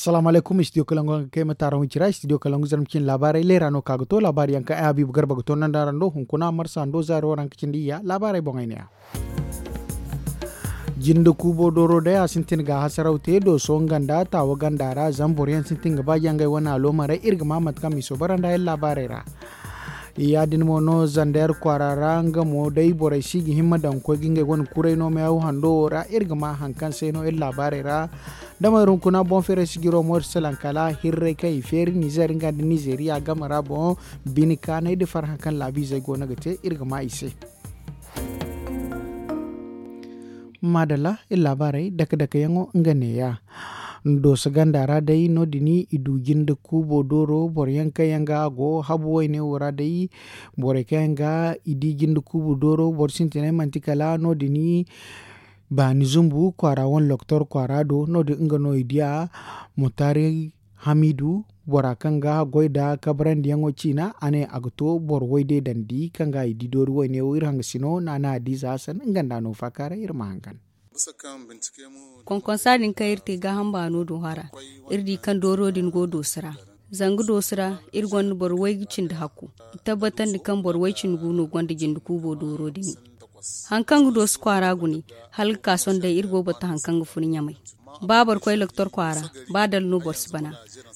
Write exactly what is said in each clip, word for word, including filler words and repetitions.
Salaamu alaykum, studio kalangu haŋ ga kay ma taaraŋ wicira, studio kalangu zarma cine laabaarey leera no ka ga to laabaari yaŋ kaŋ ay habiibu garba ga to nanda ra ndo hunkuna marsa ndo zaari waranka cindi iyya laabaarey boŋey ne ya. Jinde kuubo dooro day a sintin ga hasaraw te dooso nga nda taawa ganda ra zama boro yaŋ sintin ga ba jaŋ ngey wane aloomarey iri ga ma mate kaŋ miiso bara nda iri laabaarey ra. Ya- din mo no zander kwaara ra nga mo day borey si ga himma daŋ ga koy ga ngey wane kuray no meehaw hando wo ra iri ga ma haŋ kaŋ se no iri laabaarey ra. Damey ra hunkuna boŋ feeray sijiro mo iri salaŋ kala hirray kaŋ i feeri nizer nga nda nizeriya game ra boŋ bine kaanay nda farhã kaŋ laabiizey go no ga te iri ga ma i se. Maadalla iri laabaarey dake dake yaŋo nga neeya. Dooso ganda ra day no- din i du jinde kuubo dooro boro yaŋ kaŋ yaŋ ga a go habu wayne wo ra day borey kaŋ yaŋ ga i di jinde kuubo dooro boro sintinay manti kala no- din baani zumbu kwaara wane loktor kwaara do no- din nga no i diya. Mutari hamidu bora kaŋ ga goy nda kabarandiyaŋo ciina a ne a ga to boro way deedandi kaŋ ga i di doori wayne wo iri hangasino naana hadiiza hasan nga nda no faakaaray iri ma hangan. Konkonsa din kaŋ iri te gaaham baano do hara iri di kaŋ dooro din go doosi ra. Zanga doosi ra iri gonda boro waygu cindi hakku. I tabbatandi kaŋ boro way cindi gu no gonda jinde kuubo dooro din. Haŋ kaŋ ga doosi kwaara gune hala ga ka sohõ day iri go boro ta haŋ kaŋ ga fun ɲamay. Ba boro koy loktor kwaara ba dala no boro si bana.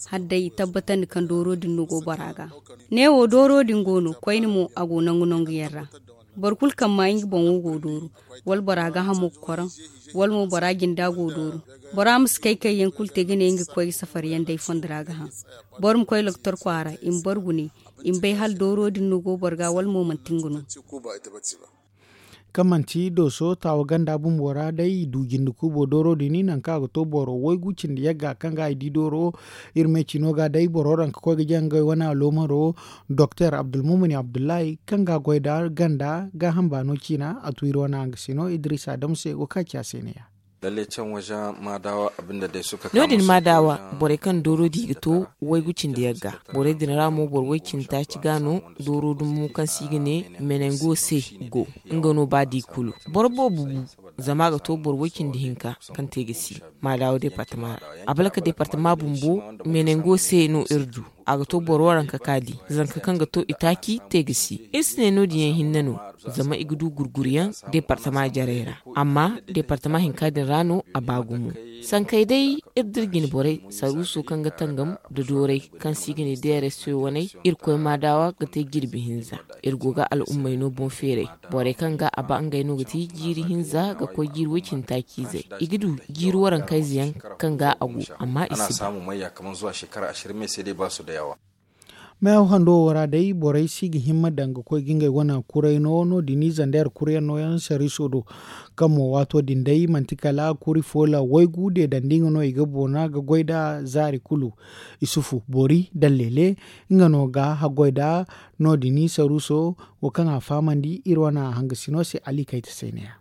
Hala day i tabbatandi kaŋ dooro din no go bora ga. Neewo dooro din go no koyne mo a go nangu nangu yaŋ ra. Boro kulu kaŋ ma nga boŋo go dooru wala bora gaahamo ga koraŋ wala mo bora jinda go dooru. Bora ma si kay kay yaŋ kulu te ga ne nga ga koy ga safari yaŋ day fondo ra ga haŋ. Boro ma koy loktor kwaara i ma boro gune i ma bay hala dooro din no go boro ga wala mo manti nga no. Kaŋ manti dooso taawa ganda bumbo ra day i du jinde kuubo dooro din nangu kaŋ a ga to boro waygu cindi yagga kaŋ ga i di dooro. Iri me cino ga day boro ranka koy ga jaŋ ngey wane aloomaro doktor abdulmumuni abdullahi kaŋ ga goy nda ganda gaaham baano ciina a tu iri wane hangasino idris adamu se go ka ci a se ne ya. No- din maadawa borey kaŋ dooro di ga to waygu cindi yagga. Borey din ra mo boro way cindi taaci ga no dooro dumbu kaŋ se i ga ne menengo se go. Nga no ba di kulu boro boobo bu zama a ga to boro way cindi hinka kaŋ te ga si maadawa departama ra. Abalaka departama bumbo menengo se no iri du. A ga to boro waranka ka di zanka kaŋ ga to itaaci te ga si iri si ne no- din yaŋ hinne no. Zama i ga du gurguryaŋ departama jarey ra amma departama hinka din ra no a ba gumo. Sankey day iri da iri jine borey saruuso kaŋ ga tangam nda doorey kaŋ se i ga ne d r s waney. Irkoy maadawa ga te jirbi hinza. Iri go ga al'ummey no boŋ feeray. Borey kaŋ ga a ba ngey no ga ti jiiri hinza ga koy jiiri way-cine taaciizey. I ga du jiiri warankayze yaŋ kaŋ ga a go amma i si ba. Meehaw hando wo ra day borey si ga himma daŋ ga koy ga ngey wane kuray no no- din i zandeer kuryaŋ nooyaŋ sariiso do. Kaŋ mo waato din day manti kala kuri foola waygu deedandi nga no i ga boona ga goy nd'a zaari kulu. Isufu boori dalleele nga no ga haggoy nd'a. No- din i sariiso wo kaŋ a fahamandi iri wane hangasino se ali kayta se neeya.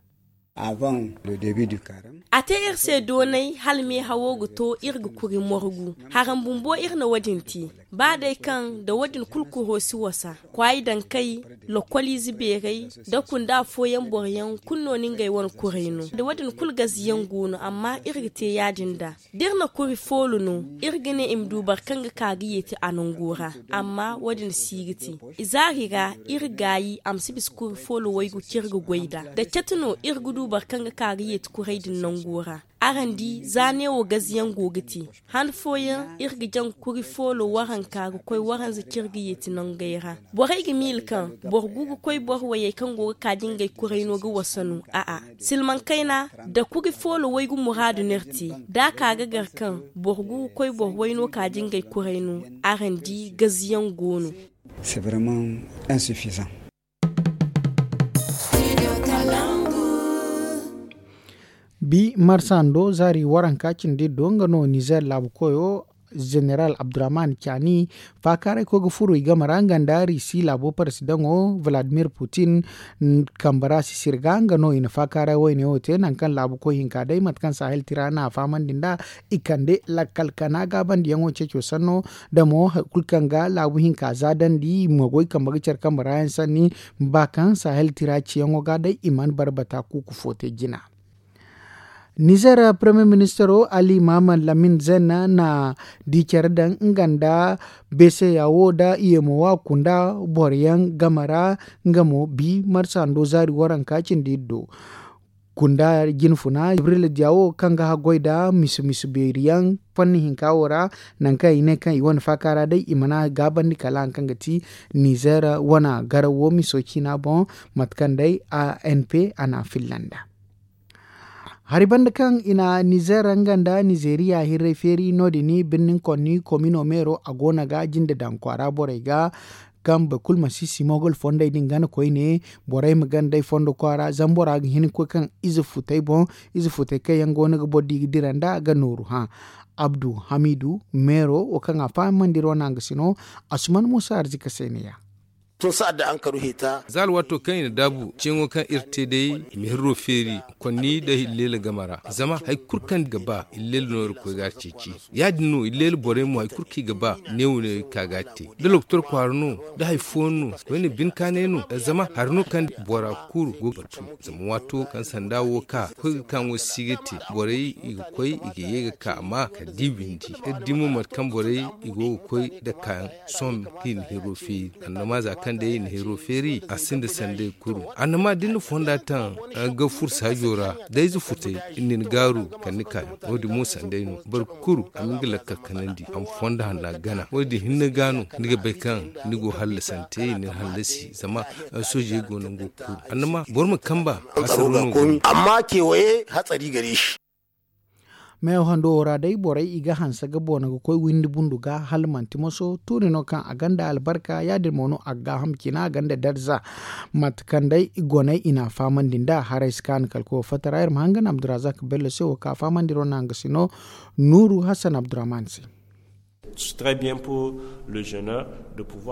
A te iri se doonay hala meehawo ga to iri ga kuri morgu. Haraŋ bumbo iri na wo- din te. Ba day kaŋ nda wo- din kulu kuro si wasa kwaayi daŋ kay lokoliize beeray nda kunda fooyaŋ boro yaŋ kulu no na ngey wane kuray no nda wo- din kulu gaziyaŋ go no amma iri ga te ya- din nd'a. Da iri na kuri foolo no iri ga ne i ma du boro kaŋ ga ka ga yeeti a nango ra. Amma wo- din si ga te. Izaari ra iri gaayi a ma si bisa kuri foolo waygu kaŋ iri ga goy nd'a da catu no iri ga du boro kaŋ ga ka ga yeeti kuray din nango ra. Araŋ di za neewo gaziyaŋ go ga te. Han fooyaŋ iri ga jaŋ kuri foolo waranka ga koy waranza kaŋ iri ga yeeti nangey ra. Borey ga miila kaŋ boro gu ga koy boro wayey kaŋ go ga ka da ngey kuray no ga wasa no. A'a, silmaŋ kayna da kuri foolo waygu muraadu no iri te. Da a ka ga gar kaŋ boro gu ga koy boro way no ka da ngey kuray no. Araŋ di gaziyaŋ go no. Bi marsando zaari waranka cindi do nga no nizer laabu koyo. Zeneral abdurrahman cani faakaaray koy ga furo i game ra nga nda risi laabo parasidaŋo vladimir putin. Kambe ra sisiri ga nga no i na faakaaray wayne wo te nangu kaŋ laabu koy hinka day mate kaŋ sahel tira na a fahamandi nd'a. I kande lakkal kana gaabandiyaŋo ceeco sanno da mo hari kulu kaŋ ga laabu hinka za dandi i ma goy kambe ga care kambe ra yaŋ sanni. Ba kaŋ sahel tira ciyaŋo ga day i mana barbata kuuku fo te jina. Nizer premier ministero ali mahamad lamin zen na di care daŋ nga nda beseya wo nda iyemo wa kunda boro yaŋ game ra. Nga mo bi marsando zaari waranka cindi iri do kunda jinfuna jibrila diya wo kaŋ ga haggoy nda misi misi beeri yaŋ fanni hinka wo ra. Nangu kaŋ i ne kaŋ i wane faaka ra day i mana gaabandi kala hari kaŋ ga ti nizer wane garawo miso ciina boŋ mate kaŋ day a n p a na a filla nd'a. Hari banda kaŋ i na nizer nga nda nizeriya hirray feeri no- din birnin konni komino meero a go no ga jinde daŋ kwaara borey ga kaŋ boro kulu ma si simogol fondey din gana koyne. Borey ma gana day fondo kwaara zama bora ga hin ga koy kaŋ ize futey boŋ ize futey kaŋ yaŋ go no ga boro di ga dira nd'a ga nooru hã. Abdu hamidu meero wo kaŋ a fahamandi iri wane hangasino asuman muusa arzika se ne ya. Za alwaato kaŋ i na daabu ceeŋo kaŋ iri te day i ma hirro feeri konni nda illeela game ra. Zama hari kulu kaŋ ga ba illeela no iri ga koy ga a ceeci. Ya- din no illeela borey mo hari kulu kaŋ i ga ba neewo no iri ga ka ga a te. Da lokotor kwaara no da hari fooyaŋ no koyne bine kaanay no. Zama hari no kaŋ bora kulu go ga batu zama waato kaŋ sanda wo ka koy ga ka ŋwa si ga te borey i ga koy i ga ye ga ka amma kala da i bindi iri di mo mate kaŋ borey i go ga koy nda kaayaŋ sohõ kaŋ i na hiro feeri. Annama za kaŋ day i na hiro feeri a sinda sanday kulu annama da ni na fonda taŋ ga furo saajo ra da ize futay i na ni gaaru kala ni kaayaŋ. Wo- din mo sanday no boro kulu a ma nga lakkal kanandi a ma fonda hanna gana wo- din hinne ga no ni ga bay kaŋ ni go hallasante i na ni hallasi zama soojey go nango kulu annama boro ma kamba. Amma kewaye hatsari gare shi. Meewo hando wo ra day borey i ga hanse ga boona ga koy windi bundu ga hala manti moso tuuri no kaŋ a gonda albarka ya- din mo no a ga gaaham cina a gonda darza. Mate kaŋ day goney i na a fahamandi nd'a haray si kaanu kala koy wo fatta ra iri ma hangan abdurazak bello se wo kaŋ a fahamandi iri wane hangasino nuuru hassan abdurahman se.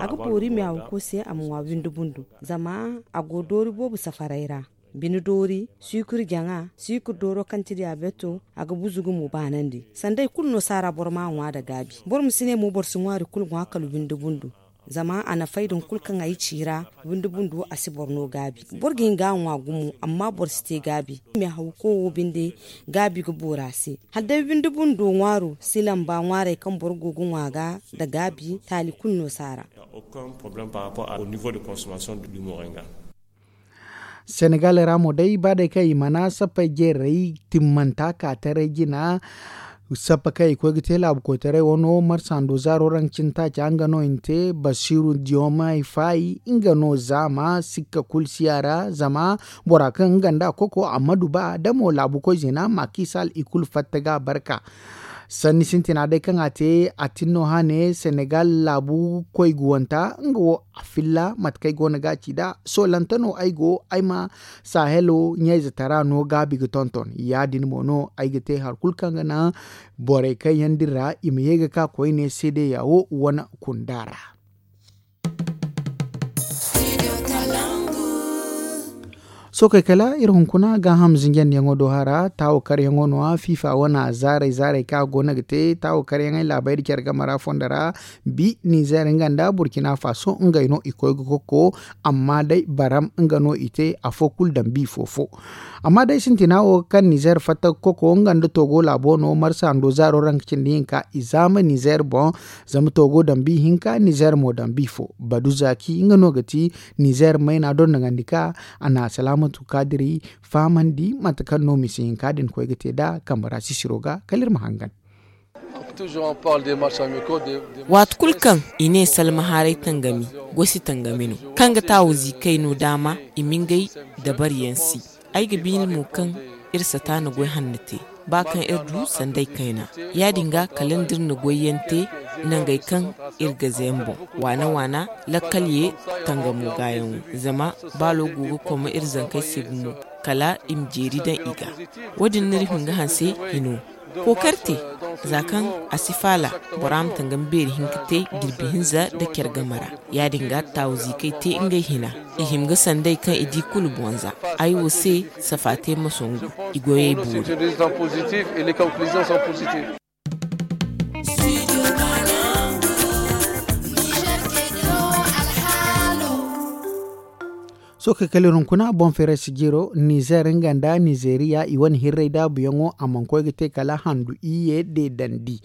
A ga boori me a ga koy se a ma ŋwa windi bundu zama a go doori boobo safaray ra. Bine doori siikir jaŋa siikir dooro kaŋ ti diyaabeto a ga buzu ga mo baanandi sanda i kulu no saara boro ma a ŋwa nda gaabi. Boro ma si ne mo boro si ŋwaari kulu ŋwa kala windi bundu. Zama a na fay din kulu kaŋ ay ci ra windi bundu a si boro no gaabi. Boro ga hin ga a ŋwa gumo amma boro si te gaabi. Me hawko wo binde gaabi ga boori a se hala day windi bundo ŋwaaro si lamba ŋwaarey kaŋ boro go ga ŋwa ga nda gaabi taali kulu no saara. Senegal ra mo day ba day kaŋ i mana sappey jeerey timmanta ka taray jina. Sappa kaŋ i koy ga te laabu koytaray wano marsando zaaro raŋ cintaaca nga no i na te basiru diyomay faayi nga no zaama sikka kulu siya ra zama bora kaŋ nga nda koko ammadu ba da mo laabu koy zina makisal i kulu fatta ga barka. Sanni sintina day kaŋ a te a tin no hane senegal laabu koy guwanta nga wo a filla mate kaŋ ay go no ga a ci nd'a soolante no ay go ay ma sahelo ɲayze tara no gaabi ga tonton ya- din mo no ay ga te hari kulu kaŋ ga naŋ borey kaŋ yaŋ din ra i ma ye ga ka koyne seedeya wo wane kunda ra. Sookey kala iri hunkuna gaaham zinjandiyaŋo do hara taawo karyaŋo no- ya fiifa wane zaarey zaarey kaŋ a go no ga te taawo karyaŋey laabey nda care game ra fondo ra. Bi nizer nga nda burkina faso ngey no i koy ga kokko. Amma day baram nga no i te afo kulu daŋ bi fo fo. Amma day sintina wo kaŋ nizer fatta ga kokko nga nda togo laabo no marsa hando zaaro ra nga cindi hinka i zaama nizer boŋ. Zama togo daŋ bi hinka nizer mo daŋ bi fo badu zaaki nga no ga ti nizer mayna dondoŋandi ka a na salaamatu kaadiri fahamandi mate kaŋ no misi hinka din koy ga te nd'a kambe ra sisiro ga kala iri ma hangan. Waati kulu kaŋ i ne salma haaray tangami goy si tangami no kaŋ ga taawo ziikay no daama i ma ngey dabariyaŋ si. Ay ga biiri mo kaŋ iri sata na goy hanno te ba kaŋ iri du sanday kayna. Ya- din ga kala nda iri na goyyaŋ te nangey kaŋ iri ga zeemboŋ waana waana lakkal ye tangamo gaayaŋo. Zama baalo go ga koma iri zankey se gumo kala i ma jeeri daŋ i ga. Wo- din n'iri hin ga hanse hino kookari te za kaŋ a si faala bora ma tangam beeri hinka te jirbi hinza nda care game ra. Ya- din ga taawo ziikay te ngey hina i hima ga sanday kaŋ i di kulu boŋ za. Ay wo se safa te ma songu i goyey boori. Sohõ kay kala iri hunkuna boŋ feeray sijiro nizer nga nda nizeriya i wane hirray daabuyaŋo a mana koy ga te kala handu iyye deedandi.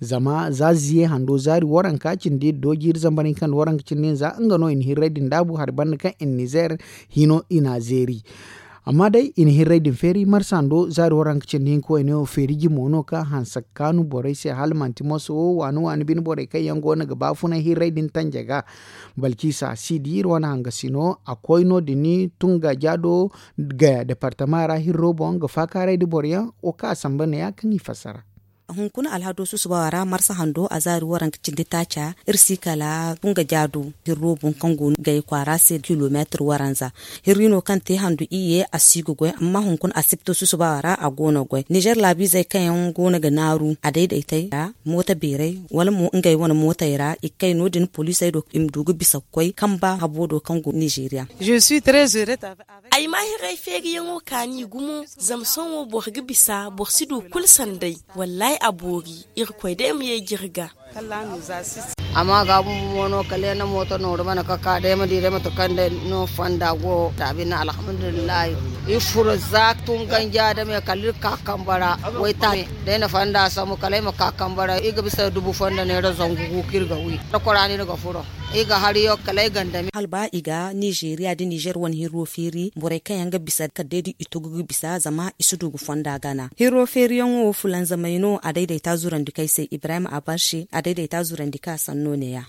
Zama za ziye hando zaari waranka cindi iri dooji iri zambar hinka nda waranka cindi hinza nga no i na hirray din daabu hari banda kaŋ i na nizer hino i n'a zeeri. Amma day i na hirray din feeri marsa hando zaari waranka cindi hinka wayne wo feeri jimo no kaŋ hanse ga kaanu borey se hala manti moso wo waani waani bine borey kaŋ yaŋ go no ga baafunay hirray din tanja ga. Balciisa si di iri wane hangasino a koy no- din tunga jaado gaya departama ra hirro boŋ ga faakaaray da boro yaŋ wo kaŋ a samba ne- ya kaŋ i fassara. Hunkuna alhado susubawa ra marsa hando a zaari waranka cindi taaca iri si kala tunga jaado hirro boŋ kaŋ go gaya kwaara se kilomeetir waranza. Hirri no kaŋ te handu iyye a si ga goy amma hunkuna a sipto susubawa ra a go no ga goy nizer laabiizey kaŋ yaŋ go no ga naaru a daydaytey ra mooto beeray wala mo ngey wane mootey ra i ga kay no- din poliisey do i ma du ga bisa ga koy kamba habo do kaŋ go nizeeriya. Ay ma hiray feeriyaŋo kaani gumo zama sohõ boro ga bisa boro si du kulu sanday. Wallaahi a boori. Irkoy day ma yeeji iri ga. Amma ga bumbo mo no kala yaŋ na mooto nooru mana ka ka day ma di day mate kaŋ day no fonda go da bine alhamdulillahi. Iri furo za tun ganja da me kala iri ka kamba ra. Waytaaci day na fonda sambu kala ay ma ka kamba ra iri ga bisa dubu fonda neera zangu gu kaŋ iri ga wi da kwara no iri ga furo. Iri ga hari yaŋ kala ay gandami. Hala ba i ga nizeeriya da nizer wane hirro feeri borey kaŋ yaŋ ga bisa kala day da i tugu ga bisa zama i si du ga fonda gana hirro feeriyaŋo fulanzamey no a daydayta zurandi kaŋ ay se ibrahim abarse a daydayta zurandi kaŋ a sanno ne- ya.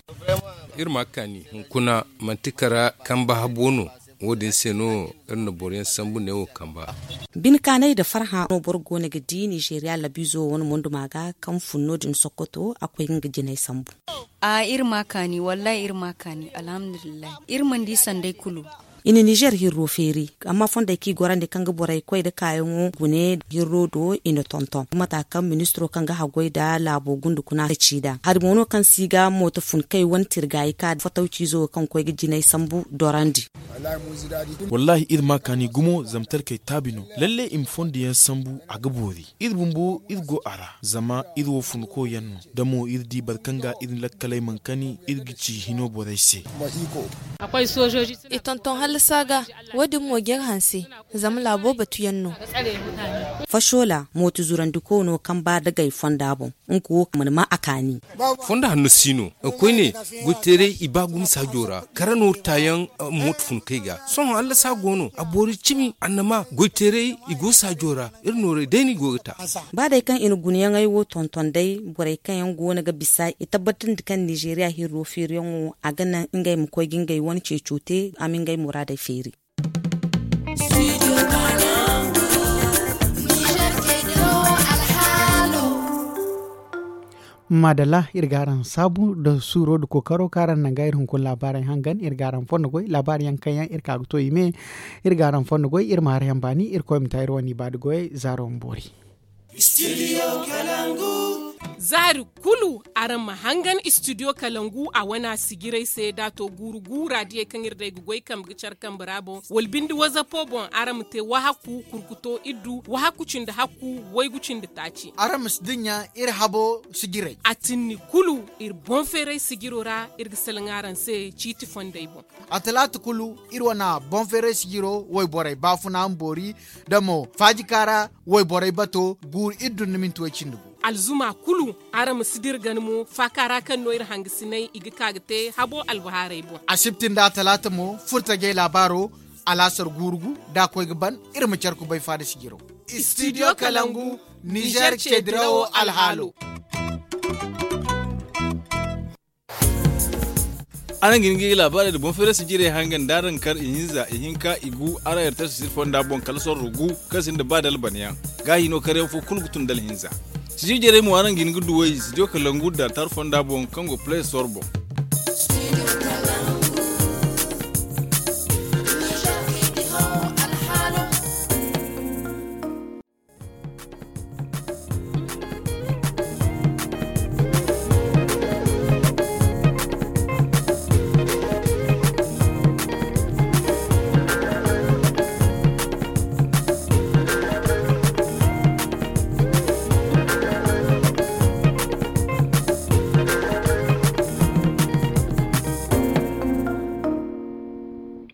Iri ma kaani hunkuna manti kara kamba habo no. Wo- din se no iri na boro yaŋ sambu ne wo kamba. Bine kaanay nda farhã no boro go no ga di nizeeriya labiizo wane monduma ga kaŋ fun no- din sokoto a koy ga nga jinay sambu. A iri ma kaani wallaahi iri ma kaani alhamdulillahi. Iri mana di sanday kulu. I na nizer hirro feeri amma fondey kaŋ i gorandi kaŋ ga borey koy nda kaayaŋo gune hirro do i na tonton mata kaŋ ministiro kaŋ ga haggoy nda laabo gundu kuna ga ci nd'a hari mo no kaŋ si ga mooto fun kay wane tirgaayi ka fotow ciizo wo kaŋ ga koy ga jinay sambu dorandi. Wallaahi iri ma kaani gumo zama talkey taabi no. Lalle i ma fondo yaŋ sambu a ga boori. Iri bumbo iri go a ra zama iri wo funko yaŋ no. Da mo iri di boro kaŋ ga iri lakkaley mana kani iri ga ci hino borey se. I tonton hallasa ga. Wo- din mo ga iri hanse zama laabo batu yaŋ no. Fasola mooto zurandiko no kaŋ ba dagay fonda boŋ. Nga wo mana ma a kaani. Fondo hanno si no. Koyne goyteeray i ba gumo saajo ra kara no taayaŋ. Mooto fun kay ga sohõ hallasa go no a boori cimi annama goyteeray i go saajo ra. Iri nooray day no i go ga ta. Ba day kaŋ i na gunayaŋey wo tonton day borey kaŋ yaŋ go no ga bisa i tabbatandi kaŋ nizeeriya hirro feeriyaŋo a ga naŋ ngey ma koy ga ngey wane ceeco te a ma ngey muraadey feeri. Maadalla iri ga araŋ saabu nda suuro nda kookaro kaŋ araŋ naŋ ga iri hunkuna laabaarey hangan iri ga araŋ fondo goy laabaari yaŋ kaŋ yaŋ iri ka ga to i me. Iri ga araŋ fondo goy iri ma haray yaŋ baani iri koy ma ta iri wane ibaada goyey zaaro ma boori. Zaari kulu araŋ ma hangan istidiyo kalangu a wana sijirey se da a to guuru guura diyey kaŋ iri day ga goy kambe ga care kambe ra boŋ wala binde wazapo boŋ araŋ ma te wahakku kurkuto iddu wahakku cindi hakku waygu cindi taaci. Araŋ ma si dinya iri habo sijirey. A tinni kulu iri boŋ feeray sijiro ra iri ga salaŋ araŋ se ciiti fondey boŋ. A talaata kulu iri wana boŋ feeray sijiro wayborey baafuna ma boori da mo faajika ra wayborey bato guuru iri dun ni minti way cindi gu. Alzuma kulu araŋ ma si dira gana mo faaka ra kaŋ no iri hangasinay i ga ka ga te habo albahaarey boŋ. Asibti nda talaata mo furtajey laabaaro alaasar guuru gu da a koy ga ban. Iri ma care kubay faada sijiro. Istidiyo kalangu nizer ceedirawo alhaalo. Araŋ ga hin ga i laabaarey nda boŋ feerey sijirey hangan da araŋ kar ihinza ihinka igu araŋ ertasi siri fonda boŋ kala sorro gu kaŋ sinda ba dalbanayaŋ. Gaahi no karyaŋ fo kulu ga tun da alhinza. Sijirey mo araŋ ga hin ga duw'ey sitiyo kalangu nda tar fonda boŋ kaŋ go play store boŋ.